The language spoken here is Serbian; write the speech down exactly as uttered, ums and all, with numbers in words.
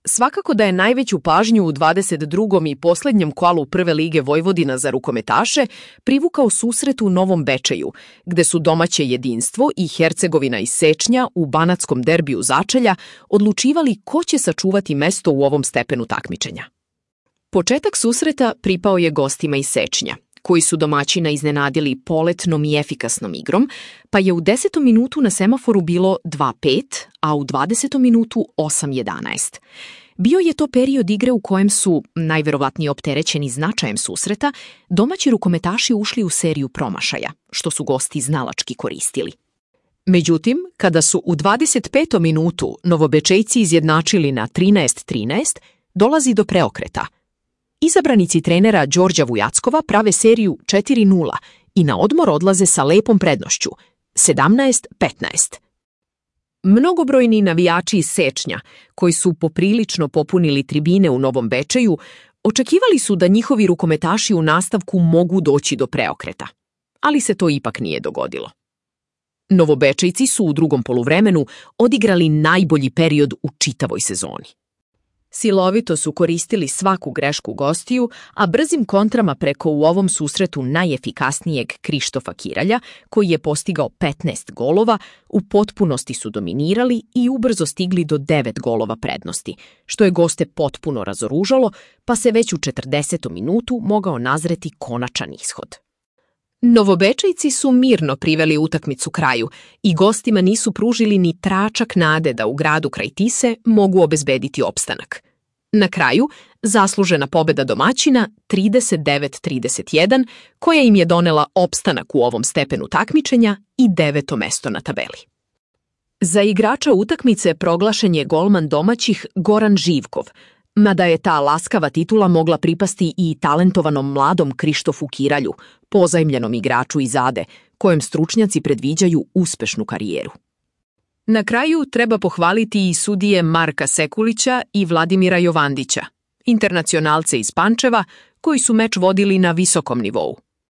Svakako da je najveću pažnju u dvadeset drugom i poslednjem kolu Prve lige Vojvodina za rukometaše privukao susret u Novom Bečeju, gde su domaće Jedinstvo i Hercegovina iz Sečnja u banatskom derbiju začelja odlučivali ko će sačuvati mesto u ovom stepenu takmičenja. Početak susreta pripao je gostima iz Sečnja, koji su domaćina iznenadili poletnom i efikasnom igrom, pa je u desetom minutu na semaforu bilo dva pet, a u dvadesetom minutu osam jedanaest. Bio je to period igre u kojem su, najverovatnije opterećeni značajem susreta, domaći rukometaši ušli u seriju promašaja, što su gosti znalački koristili. Međutim, kada su u dvadeset petom minutu Novobečejci izjednačili na trinaest trinaest, dolazi do preokreta. Izabranici trenera Đorđa Vujackova prave seriju četiri nula i na odmor odlaze sa lepom prednošću, sedamnaest petnaest. Mnogobrojni navijači iz Sečnja, koji su poprilično popunili tribine u Novom Bečeju, očekivali su da njihovi rukometaši u nastavku mogu doći do preokreta, ali se to ipak nije dogodilo. Novobečejci su u drugom poluvremenu odigrali najbolji period u čitavoj sezoni. Silovito su koristili svaku grešku gostiju, a brzim kontrama preko u ovom susretu najefikasnijeg Krištofa Kiralja, koji je postigao petnaest golova, u potpunosti su dominirali i ubrzo stigli do devet golova prednosti, što je goste potpuno razoružalo, pa se već u četrdesetom minutu mogao nazreti konačan ishod. Novobečejci su mirno priveli utakmicu kraju i gostima nisu pružili ni tračak nade da u gradu kraj Tise mogu obezbediti opstanak. Na kraju, zaslužena pobeda domaćina trideset devet trideset jedan, koja im je donela opstanak u ovom stepenu takmičenja i deveto mesto na tabeli. Za igrača utakmice proglašen je golman domaćih Goran Živkov, mada je ta laskava titula mogla pripasti i talentovanom mladom Krištofu Kiralju, pozajmljenom igraču iz Ade, kojem stručnjaci predviđaju uspešnu karijeru. Na kraju treba pohvaliti i sudije Marka Sekulića i Vladimira Jovandića, internacionalce iz Pančeva, koji su meč vodili na visokom nivou.